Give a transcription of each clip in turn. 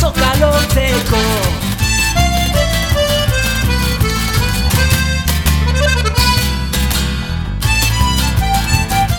azoka lotzeko.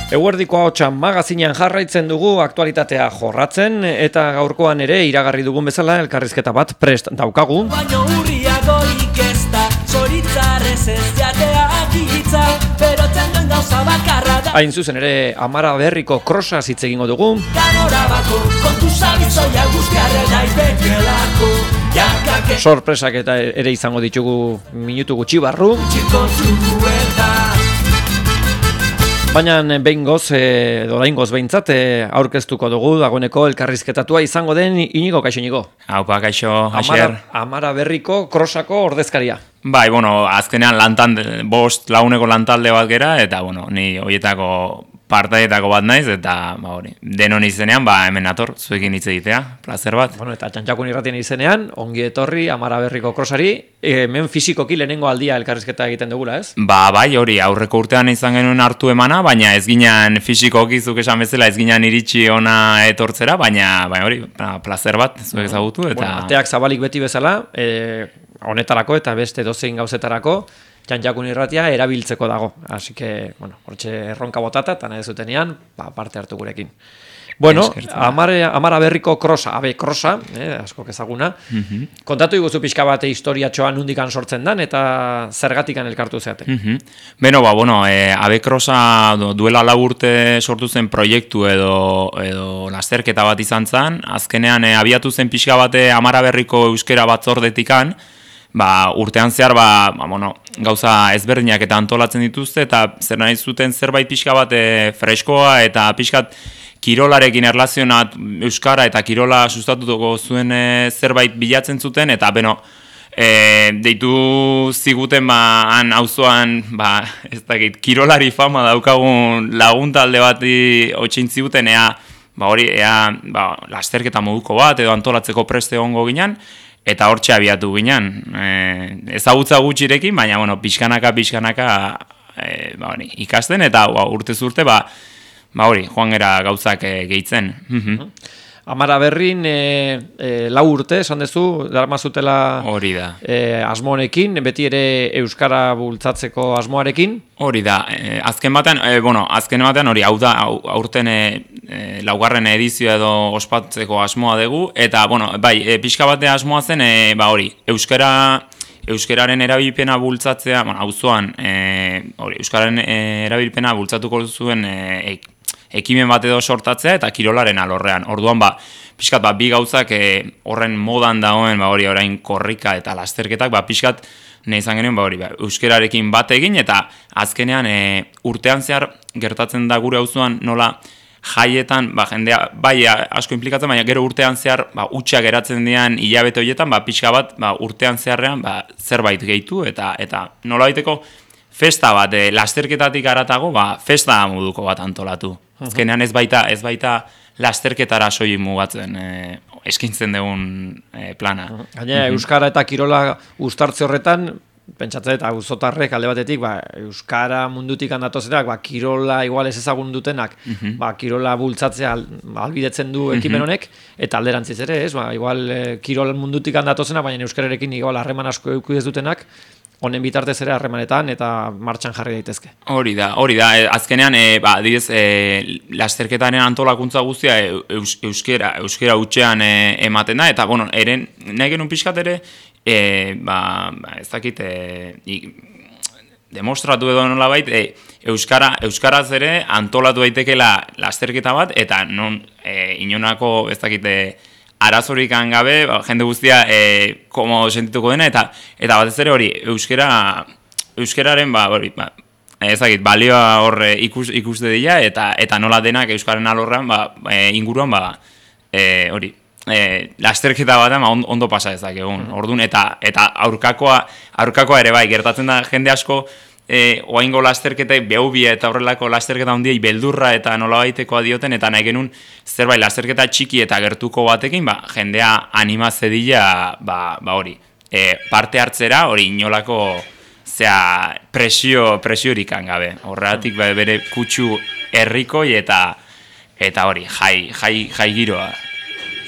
Eguerdiko ahotsa magazinean jarraitzen dugu aktualitatea jorratzen eta gaurkoan ere iragarri dugun bezala elkarrizketa bat prest daukagu. Baino urriagoik ez da, zoritzarrez ez jateak hitza, berotzen duen gauza bakarra da. Hain zuzen ere Amara Berriko krosaz hitz egingo dugu. Ganorabako kontu zabizoia guztiarre nahi bekelako, jakake Sorpresak eta ere izango ditugu minutu gutxi barru. txiko zukueta. Baina behingoz, oraingoz behintzat, aurkeztuko dugu dagoeneko elkarrizketatua izango den Inigo, kaixo Inigo. Haupa, kaixo, Asier. Amara Berriko krosako ordezkaria. Bai, azkenean bost laguneko lantalde bat gera, eta, ni horietako partaietako bat naiz, eta, denon izenean, hemen nator, zuekin hitz egitea, plazer bat. Eta Txantxakun irratien izenean, ongi etorri Amara Berriko krosari, hemen fisikoki lehenengo aldia elkarrizketa egiten dugula, ez? Bai, hori, aurreko urtean izan genuen hartu emana, baina ez ginen fisikoki zuk esan bezala, ez ginen iritsi ona etortzera, baina hori, plazer bat, zuek ezagutu, eta... Ateak zabalik beti bezala, honetarako eta beste dozein gauzetarako, Txantxakun irratia erabiltzeko dago. Así que, hortxe erronka botata, eta nahi zutenean, parte hartu gurekin. Amara Berriko krosa, krosa, askok ezaguna. Kontatu iguzu pixka bate historiatxoa nundikan sortzen dan, eta zergatikan elkartu zeate. Abe krosa duela 4 urte sortu zen proiektu edo lasterketa bat izan zen. Azkenean abiatu zen pixka bate Amara Berriko euskera batzordetikan, urtean zehar gauza ezberdinak eta antolatzen dituzte, eta zer nahi zuten zerbait pixka bat freskoa eta pixkat kirolarekin erlazionat euskara eta kirola sustatuko zuen zerbait bilatzen zuten, eta deitu ziguten han auzoan ez dakit, kirolari fama daukagun lagun talde bati otxein ziguten ea lasterketa moduko bat edo antolatzeko preste egongo ginen. Eta hortxe abiatu ginen, ezagutza gutxirekin, baina pixkanaka ikasten, eta urtez urte, joan gera gauzak gehitzen. Amara Berrin 4 urte, esan dezu, darmazutela hori da. Asmoarekin, beti ere euskara bultzatzeko asmoarekin? Hori da, azken batean hori, hau da, aurten 4. edizioa edo ospatzeko asmoa dugu, eta, pixka batea asmoa zen, euskararen erabilpena bultzatzea, auzoan, euskararen erabilpena bultzatuko zuen ekimen bat edo sortatzea eta kirolaren alorrean. Orduan, pixkat, bi gauzak horren modan dagoen, orain korrika eta lasterketak, pixkat, nahi izan genuen, euskararekin bat egin, eta azkenean urtean zehar gertatzen da gure auzoan nola jaietan, jendea, asko implikatzen, baina gero urtean zehar, utxak geratzen dian hilabete horietan, pixka bat, urtean zeharrean, zerbait gehitu, eta nola baiteko festa bat, lasterketatik aratago, festa moduko bat antolatu. Azkenean ez baita lasterketara soilik mugatzen eskintzen dugun plana. Gainera, euskara eta kirola uztartze horretan, pentsatzen eta auzotarrek alde batetik, euskara mundutik handatozenak, kirola igual ez ezagun dutenak, kirola bultzatzea albidetzen du ekimen honek, eta alderantziz ere, igual kirola mundutik handatozena, baina euskararekin igual harreman asko eduki ez dutenak, honen bitartez ere harremanetan eta martxan jarri daitezke. Hori da, azkenean, adibidez, lasterketaren antolakuntza guztia euskera hutsean ematen da, eta, nahi genuen pixkat ere, ez dakit, demostratu edo nolabait, euskaraz ere antolatu daitekela lasterketa bat, eta inonako, ez dakit, arazorik gabe, jende guztia komo sentituko dena, eta batez ere hori, euskararen, ezagit, balioa hor ikuste dira, eta nola denak euskaren alorrean, inguruan, hori, lasterketa bat ondo pasa ezakegun, orduan, eta aurkakoa ere gertatzen da jende asko, oaingo lasterketek, behubia eta horrelako lasterketa handiei beldurra eta nolabaiteko dioten, eta nahi genuen zerbait lasterketa txiki eta gertuko batekin, jendea anima zedila, hori, parte hartzera, hori inolako presiorik gabe. Horregatik bere kutsu herrikoi eta hori, jai giroa.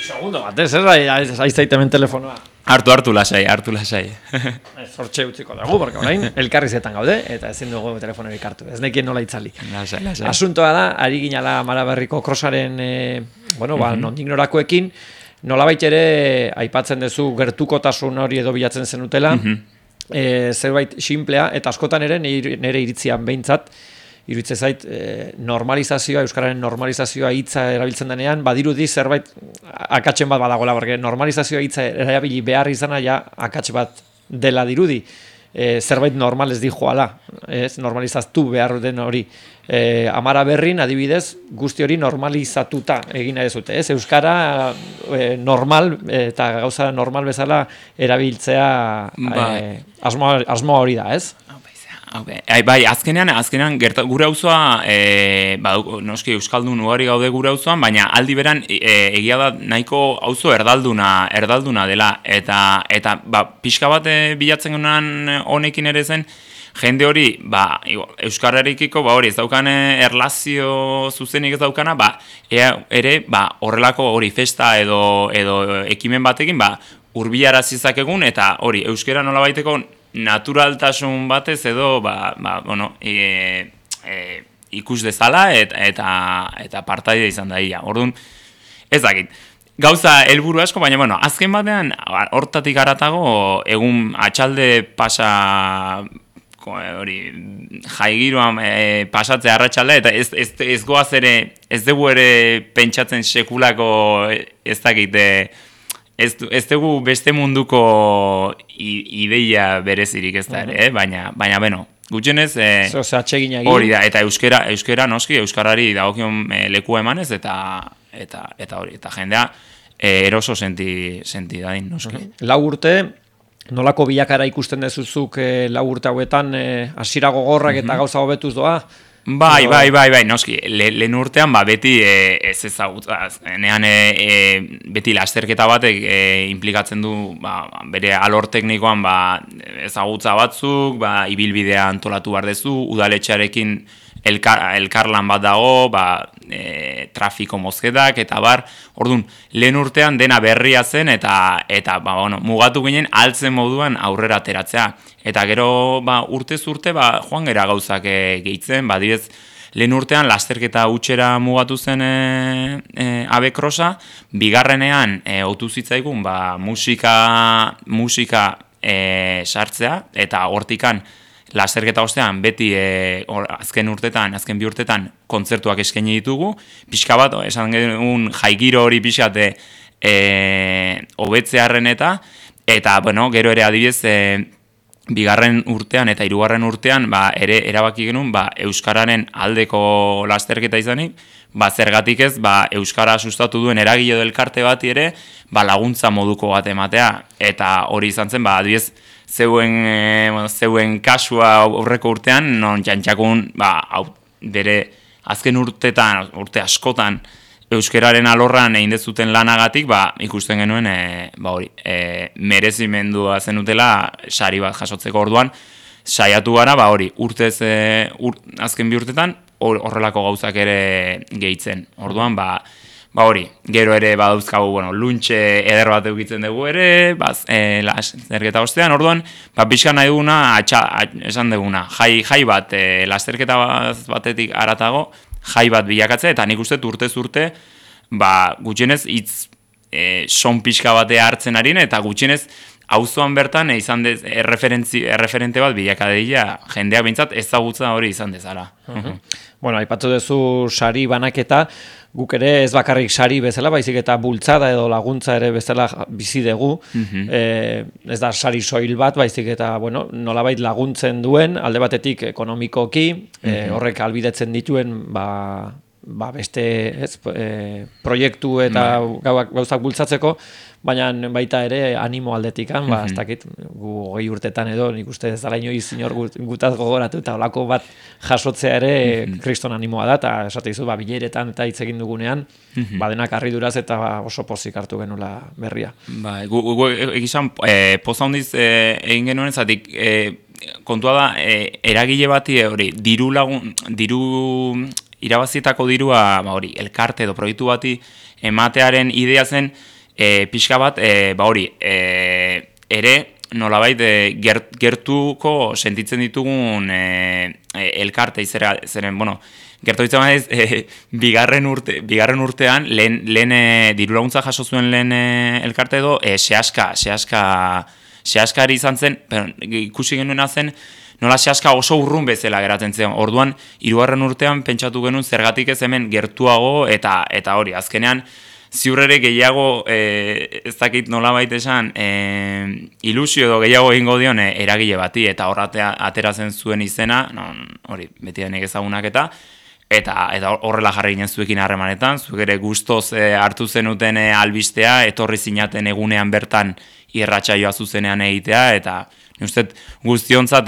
Segundo bat, ez aizaitemen telefonoa. Hartu lasai. Zortxe utziko dugu, porque orain elkarrizetan gaude, eta ezin dugu telefonorik hartu. Ez nekien nola itzali. Lasai. Asuntoa da, ari ginala Maraberriko krosaren, nondik norakoekin, nolabait ere aipatzen duzu gertukotasun hori edo bilatzen zenutela, zerbait simplea, eta askotan ere nire iritzian behintzat, iruditze zait normalizazioa, euskararen normalizazioa hitza erabiltzen denean, badirudi zerbait akatsen bat badagoela, porque normalizazioa hitza erabili behar izana ja akats bat dela dirudi. Zerbait normal ez dijoala, normalizaztu behar den hori. Amara Berrin, adibidez, guzti hori normalizatuta egin nahi dezute. Euskara normal eta gauza normal bezala erabiltzea asmoa hori da, ez? Bai, azkenean gure auzoa noski euskaldun ugari gaude gure auzoan, baina aldi beran egia da nahiko auzo erdalduna dela eta pixka bat bilatzen genuen honekin ere zen jende hori euskararekiko hori ez daukan erlazio zuzenik ez daukana ere horrelako hori festa edo ekimen batekin hurbilarazi zakegun eta hori euskara nolabaiteko naturaltasun batez edo ikus dezala eta partaide izan daia. Orduan, ez dakit. Gauza helburu asko, baina azken batean hortatik haratago egun atxalde pasa hori jaigiroan pasatzea arratsalde eta ez goaz ere ez dugu ere pentsatzen sekulako ez dakit ez dugu beste munduko ideia berezirik ez da ere, baina gutxenez hori da, eta euskera noski, euskarari dagokion lekua emanez, eta hori, eta jendea eroso senti dadin, noski. Lau urte, nolako bilakara ikusten dezuzuk lau urte hauetan, hasiera gogorrak eta gauza hobetuz doa? Bai, noski, lehen urtean beti ez ezagutza, beti lasterketa batek implikatzen du bere alor teknikoan ezagutza batzuk, ibilbidea antolatu behar dezu, udaletxearekin elkarlan bat dago, trafiko mozketak, eta orduan, lehen urtean dena berria zen, eta mugatu ginen altzen moduan aurrera ateratzea. Eta gero urtez urte joan gera gauzak gehitzen, dibez, lehen urtean lasterketa utxera mugatu zen abekrosa, bigarrenean otu zitzaigun musika sartzea, eta hortikan lasterketa ostean beti azken bi urtetan kontzertuak eskaini ditugu, pixka bat, esan genuen jaigiro hori pixate hobetzearren eta gero ere adibidez bigarren urtean eta hirugarren urtean ere erabaki genuen euskararen aldeko lasterketa izanik, zergatik ez euskara sustatu duen eragile edo elkarte bati ere laguntza moduko bat ematea, eta hori izan zen adibidez zeuen kasua aurreko urtean, non jantxakun bere azken urte askotan euskararen alorran egin dezuten lanagatik, ikusten genuen merezimendua zenutela sari bat jasotzeko. Orduan, saiatu gara, urtez azken bi urtetan horrelako gauzak ere gehitzen. Orduan, hori, gero ere badauzkagu, luntxe eder bat eukitzen dugu ere, lasterketa ostean, orduan, pixka nahi duguna, esan duguna, jai bat, lasterketa batetik aratago, jai bat bilakatzea, eta nik uste urtez urte, gutxienez hitz son pixka batea hartzen harin, eta gutxienez auzoan bertan izan erreferente bat bilakadeia jendeak behintzat ezagutza hori izan dezala. Aipatu duzu sari banaketa, guk ere ez bakarrik sari bezala, baizik eta bultzada edo laguntza ere bezala bizi dugu, ez da sari soil bat, baizik eta nolabait laguntzen duen, alde batetik ekonomikoki, horrek albidetzen dituen beste proiektu eta gauzak bultzatzeko, baina baita ere animo aldetikan, ez dakit, gu 20 urtetan edo, nik uste ez dala inoiz inor gutaz gogoratu, eta olako bat jasotzea ere kriston animoa da, eta esate dizu, bileretan eta hitz egin dugunean, denak harriduraz eta oso pozik hartu genula berria. Gu egizan, poza hondiz egin genuen zatik, kontua da, eragile bati hori, diru irabazietako dirua, elkarte edo proiektu bati ematearen idea zen, pixka bat, hori, ere, nolabait gertuko sentitzen ditugun elkarte zeren, bueno, gertu ditzen baiz, bigarren urtean, lehen diru laguntza jaso zuen lehen elkarte edo, sehaskari izan zen, ikusi genuena zen, nola sehaska oso urrun bezala geratzen zen. Orduan, 3. urtean pentsatu genuen zergatik ez hemen gertuago eta hori, azkenean, ziur ere gehiago, ez dakit nolabait esan, ilusio edo gehiago egingo dion eragile bati, eta horratea ateratzen zuen izena, hori, beti denek ezagunak eta horrela jarri ginen zuekin harremanetan, zuek ere gustoz hartu zenuten albistea, etorri zinaten egunean bertan irratsaioa zuzenean egitea, eta uste guztiontzat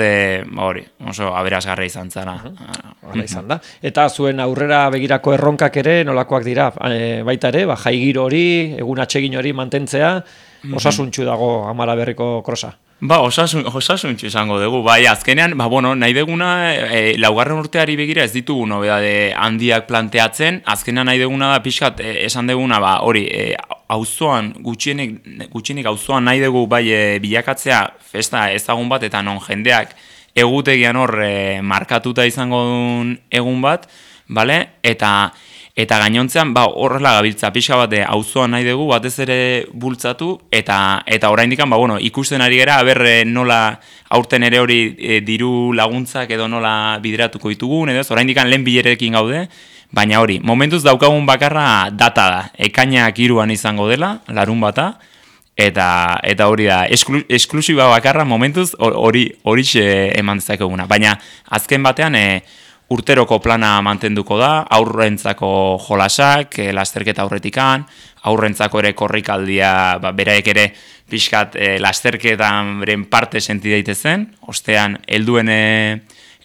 hori, oso aberasgarria izan zara. Hala izan da. Eta zuen aurrera begirako erronkak ere nolakoak dira, baita ere, jai giro hori, egun atsegin hori mantentzea, osasuntxu dago Amara Berriko krosa. Osasuntxu izango dugu, bai, azkenean, nahi deguna, 4. urteari begira ez ditugu nobedade handiak planteatzen, azkenean nahi deguna da pixkat, esan deguna, hori, auzoan, gutxienik auzoan nahi dugu bai bilakatzea festa ezagun bat, eta non jendeak egutegian hor markatuta izango duen egun bat, bale? Eta gainontzean, horrela gabiltza pixka bat auzoan nahi dugu, batez ere bultzatu, eta oraindikan, ikusten ari gera, nola aurten ere hori diru laguntzak edo nola bideratuko ditugun, edo oraindikan lehen bilerekin gaude, baina hori, momentuz daukagun bakarra data da, ekainak 3 izango dela, larun bata, eta hori da, esklusiba bakarra momentuz horixe eman dezakeguna. Baina azken batean, urteroko plana mantenduko da, aurrentzako jolasak, lasterketa aurretikan, aurrentzako ere korrikaldia, beraek ere pixkat lasterketan beren parte senti daitezen, ostean helduen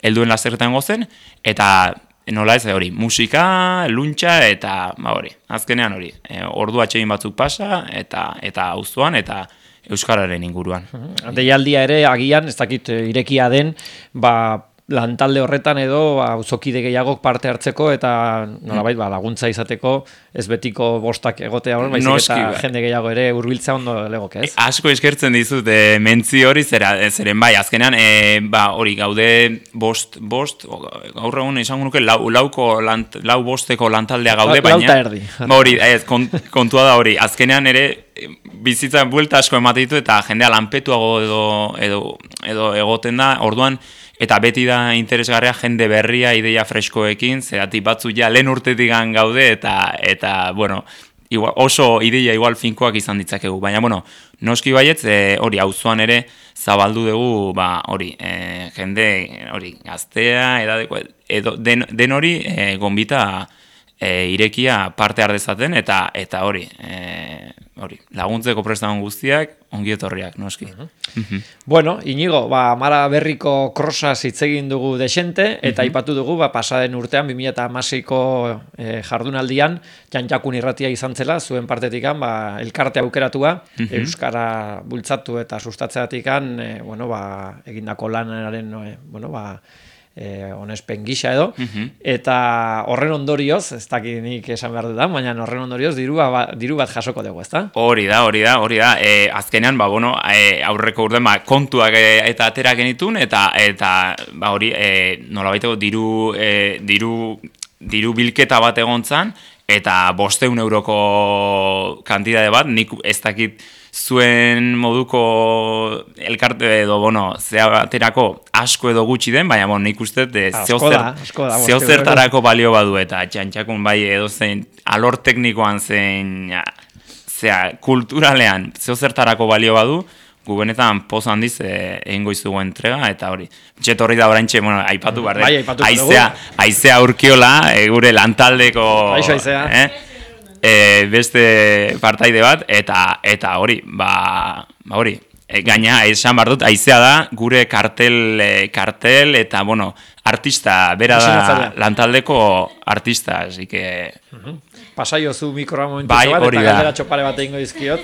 lasterketan gozen, eta nola ez hori, musika, luntxa, eta hori, azkenean hori, ordu atsegin batzuk pasa, eta auzoan, eta euskararen inguruan. Deialdia ere, agian, ez dakit irekia den, lantalde horretan edo auzokide gehiagok parte hartzeko eta nolabait laguntza izateko ez betiko bostak egotea hor, baizik eta jende gehiago ere hurbiltzea ondo legoke, ez? Asko eskertzen dizut mentzi hori zeren bai, azkenean hori gaude bost gaur egun izango nuke lau bosteko lantaldea gaude, baina lauta erdi. Hori, kontua da hori, azkenean ere bizitzan buelta asko ematen ditu eta jendea lanpetuago edo egoten da, orduan eta beti da interesgarria jende berria ideia freskoekin, zeratik batzu ja lehen urtetik gaude eta bueno, oso ideia igual finkoak izan ditzakegu, baina noski baietz hori auzoan ere zabaldu dugu hori jende hori gaztea edadeko edo den hori gonbita irekia parte har dezaten eta hori laguntzeko prestagun guztiak ongi etorriak, noski. Bueno, Inigo, Amara Berriko krosaz hitz egin dugu desente, eta aipatu dugu, pasaden urtean, 2016ko jardunaldian, Janjakun irratia izan zela, zuen partetikan, elkarte aukeratua, euskara bultzatu eta sustatzeatikan, egindako lanaren, onespen gisa edo, eta horren ondorioz, ez dakit nik esan behar dudan, baina horren ondorioz diru bat jasoko dugu, ezta? Hori da, azkenean, aurreko urtean, kontuak eta atera genitun, eta hori, nolabaiteko diru bilketa bat egontzan, eta 500 euroko kantidade bat, nik ez dakit zuen moduko elkarte edo, zea baterako asko edo gutxi den, baina nik uste zeozertarako balio badu eta Txantxakun bai edo zein alor teknikoan zein kulturalean zeozertarako balio badu, gu benetan poz handiz egingo izugu entrega, eta hori. Txetorri da oraintxe, aipatu behar aizea urkiola, gure lantaldeko beste partaide bat, eta hori, hori, gaina, esan behar dut, aizea da, gure kartel, eta, artista, bera da lantaldeko artista, así que... Pasaio zu mikroa momentu bat, eta galdera txopare bat egingo dizkiot.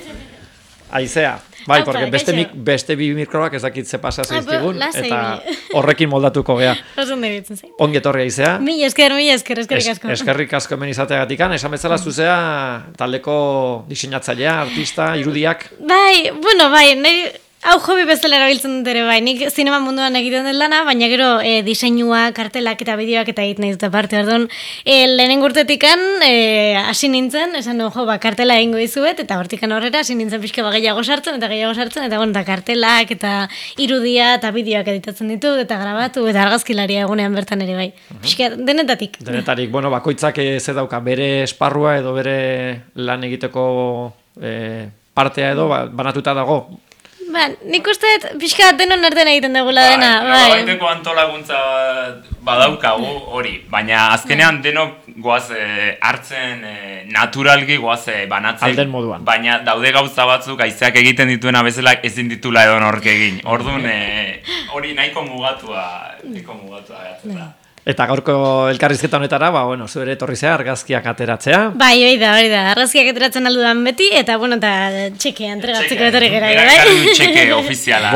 Aizea. Bai, porque beste bi mikroak ez dakit ze pasa zaizkigun, eta horrekin moldatuko gea. Ongi etorria izea. Mila esker, eskerrik asko. Eskerrik asko hemen izateagatikan, esan bezala zuzea taldeko diseinatzailea, artista, irudiak. Bai, hau hobi bezala erabiltzen dut ere bai, nik zinema munduan egiten den lana, baina gero diseinua, kartelak eta bideoak eta egiten nahi dut aparte, orduan, lehenengo urtetikan hasi nintzen, esan du, kartela egingo dizuet, eta hortikan horrera hasi nintzen pixka gehiago sartzen, eta kartelak eta irudia eta bideoak editatzen ditut, eta grabatu, eta argazkilaria egunean bertan ere bai. Pixka, denetatik. Denetarik, bakoitzak ze dauka bere esparrua edo bere lan egiteko partea edo banatuta dago. Nik uste pixka denon artean egiten dugula dena. Baiteko antolakuntza badaukagu hori, baina azkenean denok goaz hartzen naturalki goaz banatzen. Alden moduan. Baina daude gauza batzuk aizeak egiten dituena bezala ezin ditula edo nork egin. Orduan hori nahiko mugatua gatzen da. Eta gaurko elkarrizketa honetara, zu ere etorri zea argazkiak ateratzea. Bai, hori da, argazkiak ateratzen aldudan beti, eta txeke entregatzeko etorri gara. Txeke ofiziala.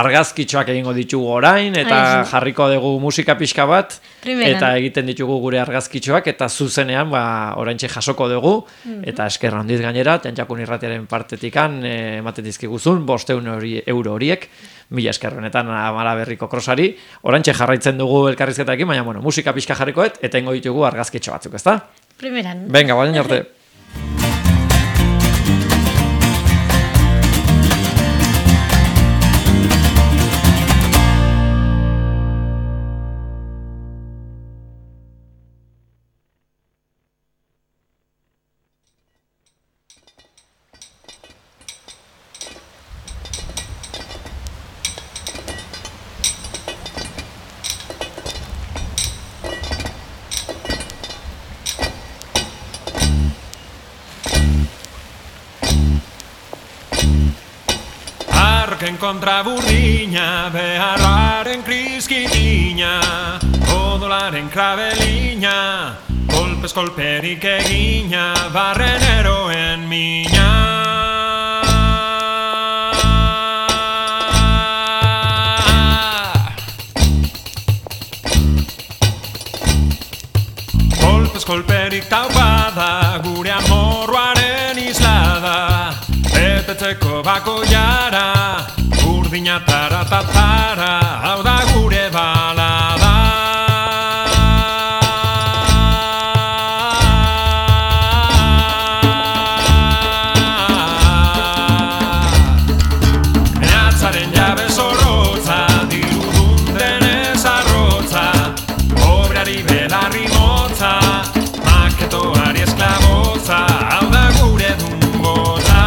Argazkitxoak egingo ditugu orain, eta jarriko dugu musika pixka bat, eta egiten ditugu gure argazkitxoak, eta zuzenean oraintxe jasoko dugu, eta esker handiz gainera, Txantxakun Irratiaren partetikan ematen dizkiguzun, 500 euro horiek, 1000 esker honetan Amara Berriko krosari, oraintxe jarraitzen dugu elkarrizketarekin, baina musika pixka jarrikoet, eta ingo ditugu argazkitxo batzuk, ezta? Primeran. Venga, baina arte. Kontra burdina, beharraren kriskitina, odolaren krabelina, kolpez kolperik egina, barren eroen mina. Kolpez kolperik taupada, gure amorruaren islada, betetzeko bako jara, urdina tara, hau da gure balada. Menatzaren jabe zorrotza, dirudun denez arrotza, obrari belarri motza, maketoari esklabotza, hau da gure dunbotza.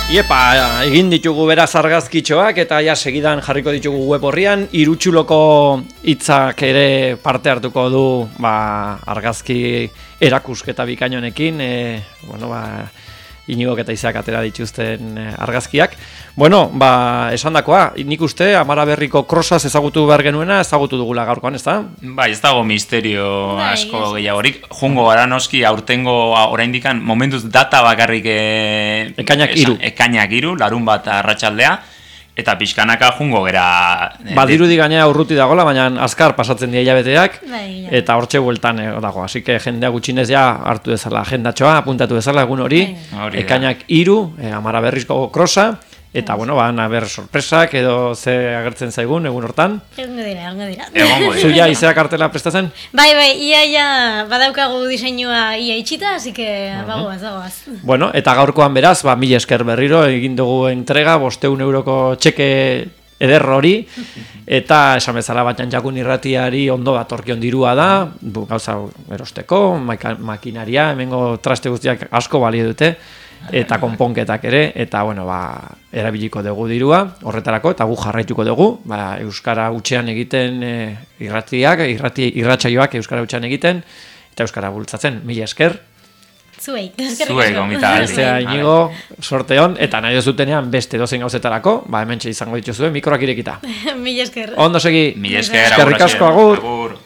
Iepa, egin ditugu beraz argazkitxoak eta ja segidan jarriko ditugu web horrian. Irutxuloko hitzak ere parte hartuko du argazki erakusketa bikainonekin, Inigok eta Izak atera dituzten argazkiak. Bueno, esandakoa, nik uste Amara Berriko krosaz ezagutu behar genuena, ezagutu dugula gaurkoan, ez da? Bai, ez dago misterio asko gehiagorik. Jungo gara noski aurtengo oraindikan momentuz data bakarrik ekainak 3, larun bat arratsaldea. Eta pixkanaka jungo gera... Badirudi gainera urruti dagola, baina azkar pasatzen dira hilabeteak, eta hortxe bueltan dago. Así que jendea gutxinez ja hartu dezala agendatxoa, apuntatu dezala egun hori, ekainak 3, Amara Berrizko krosa, eta ber sorpresak edo ze agertzen zaigun egun hortan. Egongo dira. Zuia izea kartela prestatzen? Bai, ia badaukagu diseinua ia itxita, así que bagoaz. Bueno, eta gaurkoan beraz, 1000 esker berriro egin dugu entrega, 500 euroko txeke eder hori, eta esan bezala Batxan Jakun irratiari ondo datorkion dirua da, gauza erosteko, makinaria, hemengo traste guztiak asko balio dute, eta konponketak ere, eta erabiliko dugu dirua horretarako, eta gu jarraituko dugu, euskara hutsean egiten irratsaioak euskara hutsean egiten, eta euskara bultzatzen. 1000 esker. Zuei gomita. Ezea Inigo, sorte hon, eta nahi duzutenean beste dozein gauzetarako, hementxe izango dituzue, mikroak irekita. 1000 esker. Ondo segi. 1000 esker. Eskerrik asko, agur.